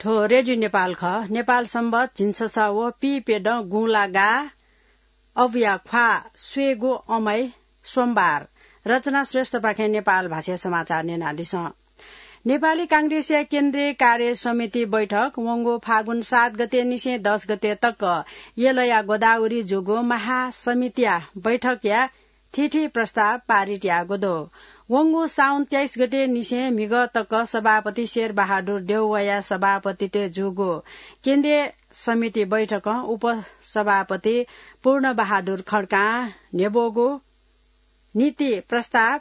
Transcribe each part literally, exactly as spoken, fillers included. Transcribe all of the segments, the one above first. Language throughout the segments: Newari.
थ्व रेडियो नेपाल खः। नेपाल संवत झिंछसः व पीप्यदँ गुंला गाः अबुया ख्वाः स्वयेगु अमै सोमबार। रचना श्रेष्ठपाखें नेपाल भाषाया समाचार न्यनादिसँ। नेपाली कांग्रेसया केन्द्रीय कार्य समिति बैठक वंगु फागुन सात गते निसें दस गते तक यलया गोदावरी जूगु महासमितिया बैठकया थीथी प्रस्ताव पारित याःगु दु। वंगु साउन तेइस गते निसें म्हिगः तक सभापति शेरबहादुर देउवाया सभापतित्वय् जूगु केन्द्रीय समिति बैठकं उपसभापति पूर्णबहादुर खड्कां न्ह्यब्वःगु नीति प्रस्ताव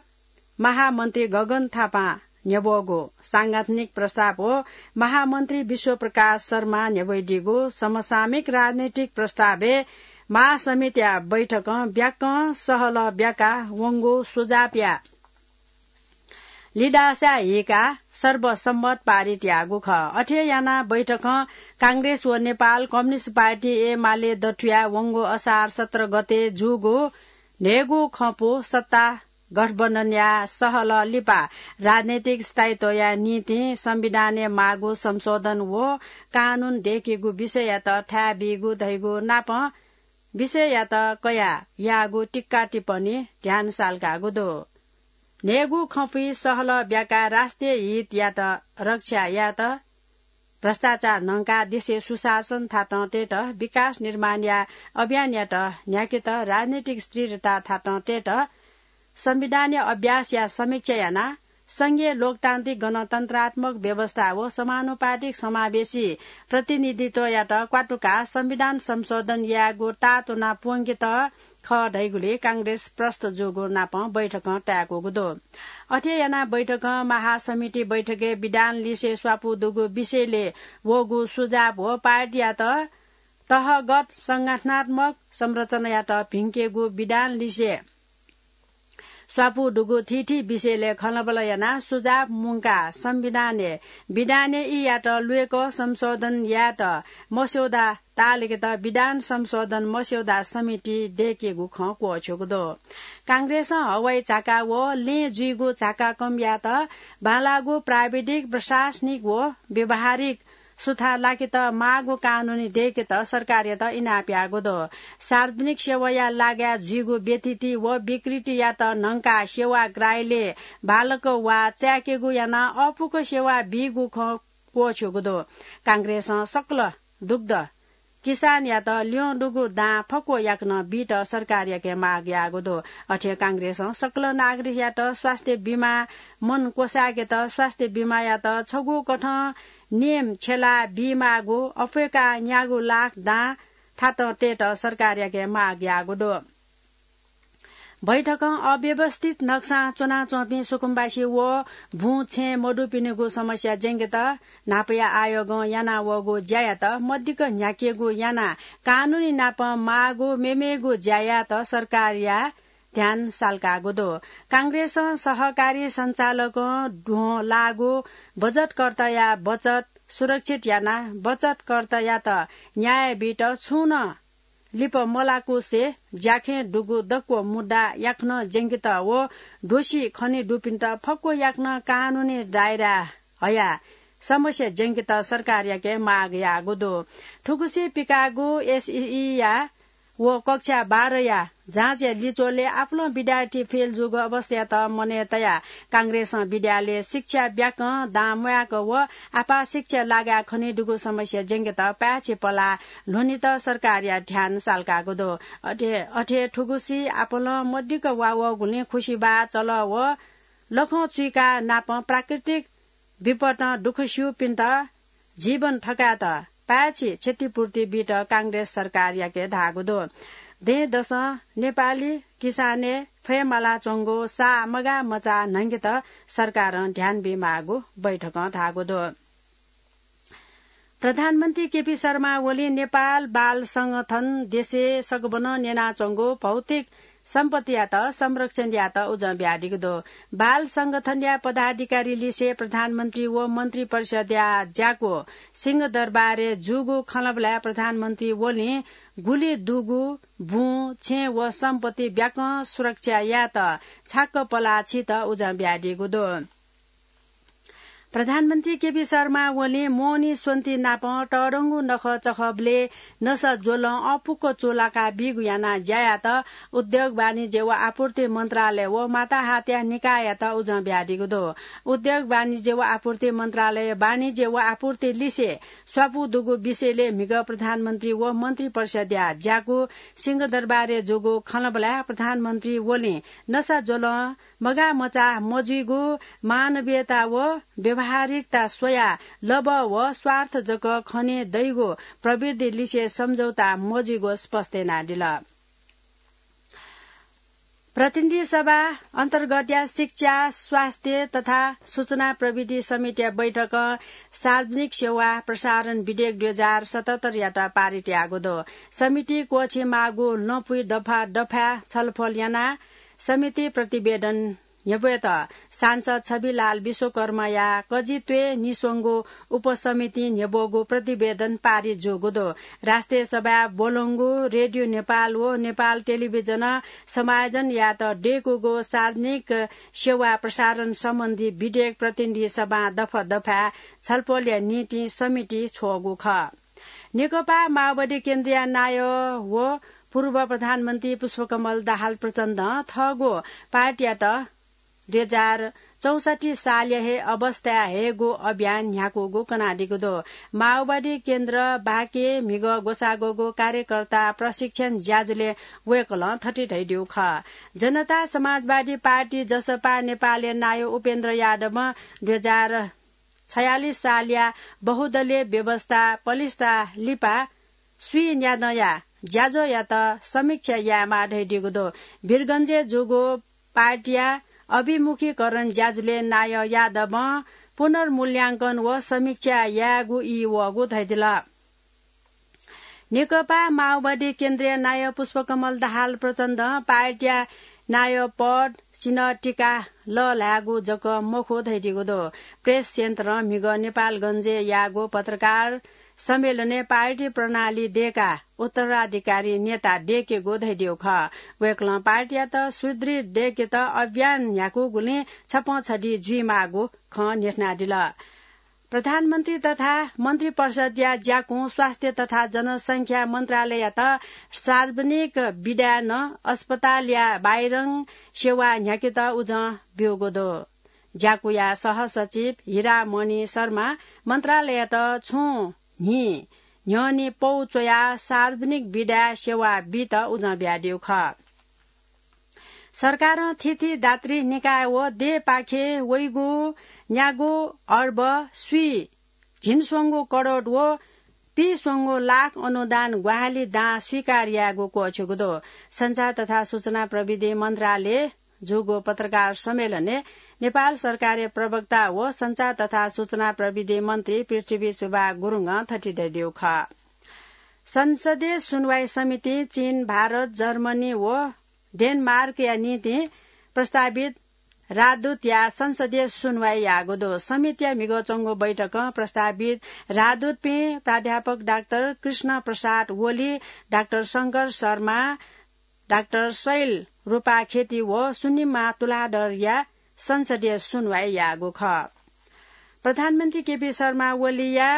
महामन्त्री गगन थापां न्ह्यब्वःगु सांगठनिक प्रस्ताव व महामन्त्री विश्वप्रकाश शर्मां न्ह्यब्वइदीगु समसामयिक राजनैतिक प्रस्तावय् महासमितिया बैठकं ब्याकं सहलह ब्याकाः वंगु सुझावया लिदासा हीकाः सर्वसम्मत पारित याःगु खः। अथे यानाः बैठकं कांग्रेस व नेपाल कम्युनिस्ट पार्टी एमाले दथुया वंगु असार सत्र गते जूगु न्हय्गू खँपु सत्ता गठबन्धनया सहलह लिपा राजनैतिक स्थायित्वया निंतिं संविधानय् माःगु संशोधन व कानून दय्केगु विषययात थाय् बीगु धइगु नापं विषययात कयाः याःगु टिक्का टिप्पणी ध्यान साल्कागु दु। न्हय्गू खँपुइ सहलह ब्याकाः राष्ट्रिय हितयात रक्षा यायेत, भ्रष्टाचार न्हंकाः देशय् सुशासन थातं तयेत, विकास निर्माणया अभियानयात न्ह्याकेत, राजनैतिक स्थिरता थातं तयेत, संविधानया अभ्यासया समीक्षा यानाः संघीय लोकतान्त्रिक गणतन्त्रात्मक व्यवस्था व समानुपातिक समावेशी प्रतिनिधित्वयात क्वातुकाः संविधान संशोधन यायेगु ताःतुना प्वंकेत खः धइगुलिइ कांग्रेस प्रष्ट जूगु नापं बैठकं ताय्कूगु दु। अथे यानाः बैठकं महासमिति बैठकय् विधान लिसे स्वापू दुगु विषयले वःगु सुझाव व पार्टीयात तहगत संगठनात्मक संरचनायात भिंकेगु विधान लिसे स्वापू दुगु थीथी विषयले खँल्हाबल्हा यानाः सुझाव मुंकाः संविधानय् विधानय् ईयात ल्वय्कः संशोधन यायेत मस्यौदा ताःलाकेत विधान संशोधन मस्यौदा समिति दय्केगु खँ क्वःछ्यूगु दु। कांग्रेसं हवाई झाका व लँय् जुइगु झाका कम यायेत बांलाःगु प्राविधिक, प्रशासनिक व व्यावहारिक सुथां लाकेत माःगु कानूनी दय्केत सरकारयात इनाप याःगु दु। सार्वजनिक सेवाया लागाय् जुइगु व्यथिति व विकृतियात न्हंकाः सेवाग्राहीले बांलाक वा चाय्केगु यानाः अःपुक सेवा बीगु खँ क्वःछ्यूगु दु। कांग्रेसं सकल दुग्ध किसानयात ल्यं दुगु दां फक्व याकनं बीत सरकारयाके माग याःगु दु। अथे कांग्रेसं सकल नागरिकयात स्वास्थ्य बीमा मन क्वसाय्केत स्वास्थ्य बीमायात छगू कथं नियम छ्यला बीमाःगु अप्वय्काः न्यागू लाख दां थातं तयेत सरकारयाके माग याःगु दु। बैठकं अव्यवस्थित नक्सां च्वनाच्वंपिं सुकुम्बासी व बुँ छेँ मदुपिनिगु समस्या ज्यंकेत न्हापाया आयोगं यानावःगु ज्यायात मदिक्क न्ह्याकेगु यानाः कानूनी नाप माःगु मेमेगु ज्या यायेत सरकारया ध्यान साल्कागु दु। कांग्रेसं सहकारी सञ्चालकं द्वहं लाःगु बचतकर्ताया बचत सुरक्षित यानाः बचतकर्तायात न्याय बीत छुं नं लिपा मलाकुसे ज्याखँय् दुगु दक्व मुद्दा याकनं ज्यंकेत व दोषी खने दुपिन्त फक्व याकनं कानूनी दायरा हयाः समस्या ज्यंकेत सरकारयाके माग याःगु दु। थुगुसी पिकाःगु एसईईया व कक्षा बाह्रया जाँचया लिच्वलय् आपालं विद्यार्थी फेल जूगु अवस्थायात मनय् तयाः कांग्रेसं विद्यालय शिक्षा ब्याकं दां म्वायेक व आपाः शिक्षा लागाय् खने दुगु समस्या ज्यंकेत पाय्छि पलाः ल्ह्वनेत सरकारया ध्यान साल्कागु दु। अथे, अथे थुगुसी आपालं मदिक्क वावःगुलिं खुसिबाः चलः व लखं चुइका नापं प्राकृतिक विपतं दुःख स्यूपिन्त जीवन थकायेत पाय्छि क्षतिपूर्ति बीत कांग्रेस सरकारयाके धाःगु दु। दँय्‌दसं नेपाली किसानय् फयेमालाच्वंगु साः मगाः मचाः न्हंकेत सरकारं ध्यान बीमाःगु बैठकं धाःगु दु। प्रधानमन्त्री केपी शर्मा ओलीं नेपाल बाल संगठन देशय् सकभनं न्यनाच्वंगु भौतिक सम्पत्तियात संरक्षण यायेत उजं बियादीगु दु। बाल संगठनया पदाधिकारी लिसे प्रधानमन्त्री व मन्त्री परिषदया ज्याकू सिंहदरबारय् जूगु खँल्हाबल्हाय् प्रधानमन्त्री ओलीं गुलि दुगु बुँ, छेँ व सम्पत्ति ब्याकं सुरक्षा यायेत छाक्क पलाः छीत उजं बियादीगु दु। प्रधानमन्त्री केपी शर्मा ओलीं मोहनी स्वन्ति नाप तःधंगु नखःचखःबलय् नसा ज्वलं अःपुक्क चूलाका बीगु यानाः ज्या यात। उद्योग, वाणिज्य व आपूर्ति मन्त्रालय व माताहातया निकाययात उजं बियादीगु दु। उद्योग, वाणिज्य व आपूर्ति मन्त्रालय वाणिज्य व आपूर्ति लिसे स्वापू दुगु विषयलय् म्हिगः प्रधानमन्त्री व मन्त्रिपरिषदया ज्याकू सिंहदरबारय् जूगु खँल्हाबल्हाय् प्रधानमन्त्री ओलीं नसा ज्वलं मगाःमचाः मजुइगु, मानवीयता व व्यावहारिकता स्वयाः लभ व स्वार्थ जक खने दइगु प्रवृत्ति लिसे सम्झौता मजुइगु स्पष्ट यानादिल। प्रतिनिधि सभा अन्तर्गतया शिक्षा, स्वास्थ्य तथा सूचना प्रविधि समितिया बैठकं सार्वजनिक सेवा प्रसारण विधेयक दुई हजार सतहत्तरयात पारित याःगु दु। समिति क्वःछी माःगु लँपुइ दफा दफाय् छलफल यानाः समिति प्रतिवेदन न्ह्यब्वयेत सांसद छविलाल विश्वकर्माया कजित्वय् निस्वंगु उपसमितिं न्ह्यब्वःगु प्रतिवेदन पारित जूगु दु। राष्ट्रिय सभाय् ब्वलंगु रेडियो नेपाल व नेपाल टेलिभिजनं समायोजन यायेत दय्कूगु सार्वजनिक सेवा प्रसारण सम्बन्धी विधेयक प्रतिनिधि सभां दफा दफाय् छलफलया निंतिं समिति छ्वःगु खः। नेकपा माओवादी केन्द्रया नायः व पूर्व प्रधानमन्त्री पुष्पकमल दाहाल प्रचण्डं थःगु पार्टीयात दुई हजार चौसट्ठी सालया हे अवस्थाय् हयेगु अभियान न्ह्याकूगु कनादीगु दु। माओवादी केन्द्र बाँके म्हिगः ग्वसाः ग्वःगु कार्यकर्ता प्रशिक्षण ज्याझ्वलय् वय्कलं थथे धयादीगु खः। जनता समाजवादी पार्टी, जसपा, नेपालया नायः उपेन्द्र यादवं दुई हजार छयालिस सालया बहुदलीय व्यवस्था पलिस्था लिपा स्वीन्यादँया ज्याझ्वःयात समीक्षा यायेमाः धयादीगु दु। वीरगंजय् जूगु पार्टीया अभिमुखीकरण ज्याझ्वलय् नायः यादवं पुनर्मूल्यांकन व समीक्षा यायेगु ई वःगु धयादिल। नेकपा माओवादी केन्द्रया नायः पुष्पकमल दाहाल प्रचण्डं पार्टीया नायः पद सिन्हः टिका लःल्हायेगु जक मखु धयादीगु दु। प्रेस सेन्टरं म्हिगः नेपालगंजय् याःगु पत्रकार सम्मेलनय् पार्टी प्रणाली दय्काः उत्तराधिकारी नेता दय्केगु धयादीगु खः। वय्कलं पार्टीयात सुदृढ दय्केत अभियान न्ह्याकूगुलिं छपंछधी जुइमाःगु खँ न्ह्यथनादिल। प्रधानमन्त्री तथा मन्त्रिपरिषदया ज्याकुं स्वास्थ्य तथा जनसंख्या मन्त्रालययात सार्वजनिक विधाय् नं अस्पतालया बाहिरं सेवा न्ह्याकेत उजं ब्यूगु दु। ज्याकुया सहसचिव हिरामणि शर्मा मन्त्रालययात छुं न्हि न्ह्यःने पौ च्वयाः सार्वजनिक विधाय् सेवा बीत उजं बियादीगु खः। सरकारं थीथी दात्री निकाय व देय्‌पाखे वइगु न्यागू अर्ब स्वी झिंस्वंगू करोड व पीस्वंगू लाख अनुदान ग्वाहालि दां स्वीकार यायेगु क्वःछिगु दु। सञ्चार तथा सूचना प्रविधि मन्त्रालयय् जूगु पत्रकार सम्मेलनय् नेपाल सरकारया प्रवक्ता व सञ्चार तथा सूचना प्रविधि मन्त्री पृथ्वी सुब्बा गुरुङं थथे धयादीगु खः। संसदीय सुनवाई समितिं चीन, भारत, जर्मनी व डेनमार्कया निंतिं प्रस्तावित राजदूतया संसदीय सुनवाई याःगु दु। समितिया म्हिगः च्वंगु बैठकं प्रस्तावित राजदूतपिं प्राध्यापक डाक्टर कृष्ण प्रसाद ओली, डाक्टर शंकर शर्मा, डाक्टर शैल रूपाखेती व सुनिमा तुलाधरया संसदीय सुनवाई याःगु खः। प्रधानमन्त्री केपी शर्मा ओलीया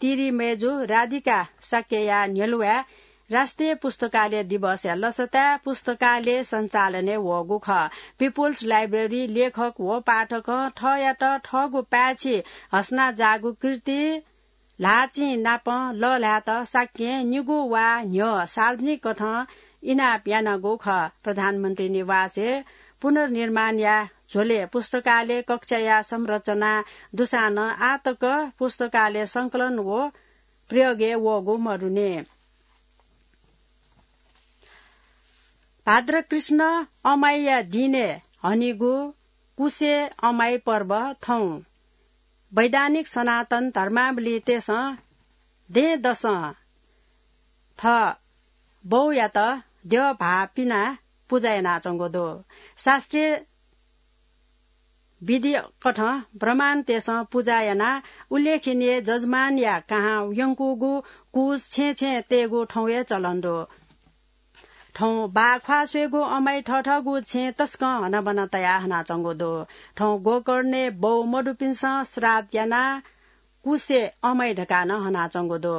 तिरिमय्जु राधिका शाक्यया न्ह्यलुवाय् राष्ट्रिय पुस्तकालय दिवसया लसताय् पुस्तकालय सञ्चालनय् वःगु खः। पिपुल्स लाइब्रेरी लेखक व पाठकं थःयात थःगु पाय्छि हसना जाःगु कृति ल्हाःचिं नाप लःल्हायेत शाक्यं निगू वा न्ह्यः सार्वजनिक कथं इनाप यानागु खः। प्रधानमन्त्री निवासय् पुनर्निर्माणया झ्वलय् पुस्तकालय कक्षया संरचना दुसां नं आः तक पुस्तकालय संकलन व प्रयोगय् वःगु मदुनि। भाद्र कृष्ण अमाइया दिनय् हनीगु कुसे अमाइ पर्व थौं वैधानिक सनातन धर्मावलम्बीतय्सं दँय्‌दसं थः बौयात द्यः भाः पिनाः पुजा यानाच्वंगु दु। शास्त्रीय विधि कथं ब्राह्मणतय्सं पुजा यानाः उल्लेखनीय जजमानया कहां यंकूगु कुस छेँय् छेँय् तयेगु थौंया चलन दु। थौं बाः ख्वाः स्वयेगु अमाइ थःथःगु छेँ तसकं हनाबना तयाः हनाच्वंगु दु। थौं गोकर्णय् बौ मदुपिन्सं श्राद्ध यानाः कुसे अमाइ धकाः नं हनाच्वंगु दु।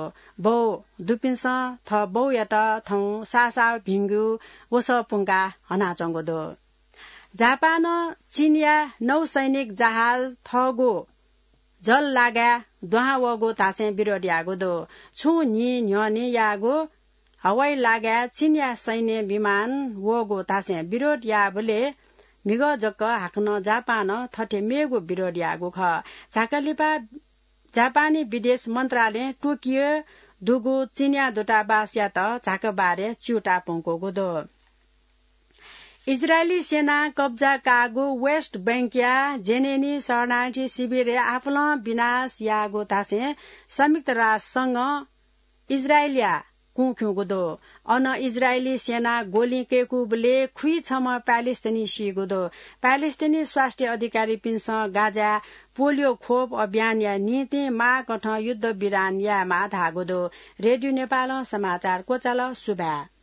बौ दुपिन्सं थः बौयात थौं साःसाः भिंगु वसः पुंकाः हनाच्वंगु दु। जापानं चीनया नौसैनिक जहाज थःगु जललागाय् दुहां वःगु धासें विरोध याःगु दु। छुं न्हि न्ह्यःने याःगु हवाईलागाय् चीनया सैन्य विमान वःगु धासें विरोध याःबलय् म्हिगः जक हाकनं जापानं थथे मेगु विरोध याःगु खः। झाकालिपा जापानी विदेश मन्त्रालयं टोकियो दुगु चीनया दूतावासयात झाकाबारय् च्यूताः प्वंकूगु दु। इजरायली सेनां कब्जा काःगु वेस्ट बैंकया जेनिनी शरणार्थी शिविरय् आपालं विनाश याःगु धासें संयुक्त राष्ट्र संघं इजरायलया कुँ खिउँगु दु। अन इजरायली सेनां गोली कय्कूबलय् खुइछम्ह प्यालेस्टिनी सीगु दु। प्यालेस्टिनी स्वास्थ्य अधिकारीपिन्सं गाजाय् पोलियो खोप अभियानया निंतिं माःकथं युद्धविराम यायेमाः धाःगु दु। रेडियो नेपालं समाचार क्वचाल। सुभाय्।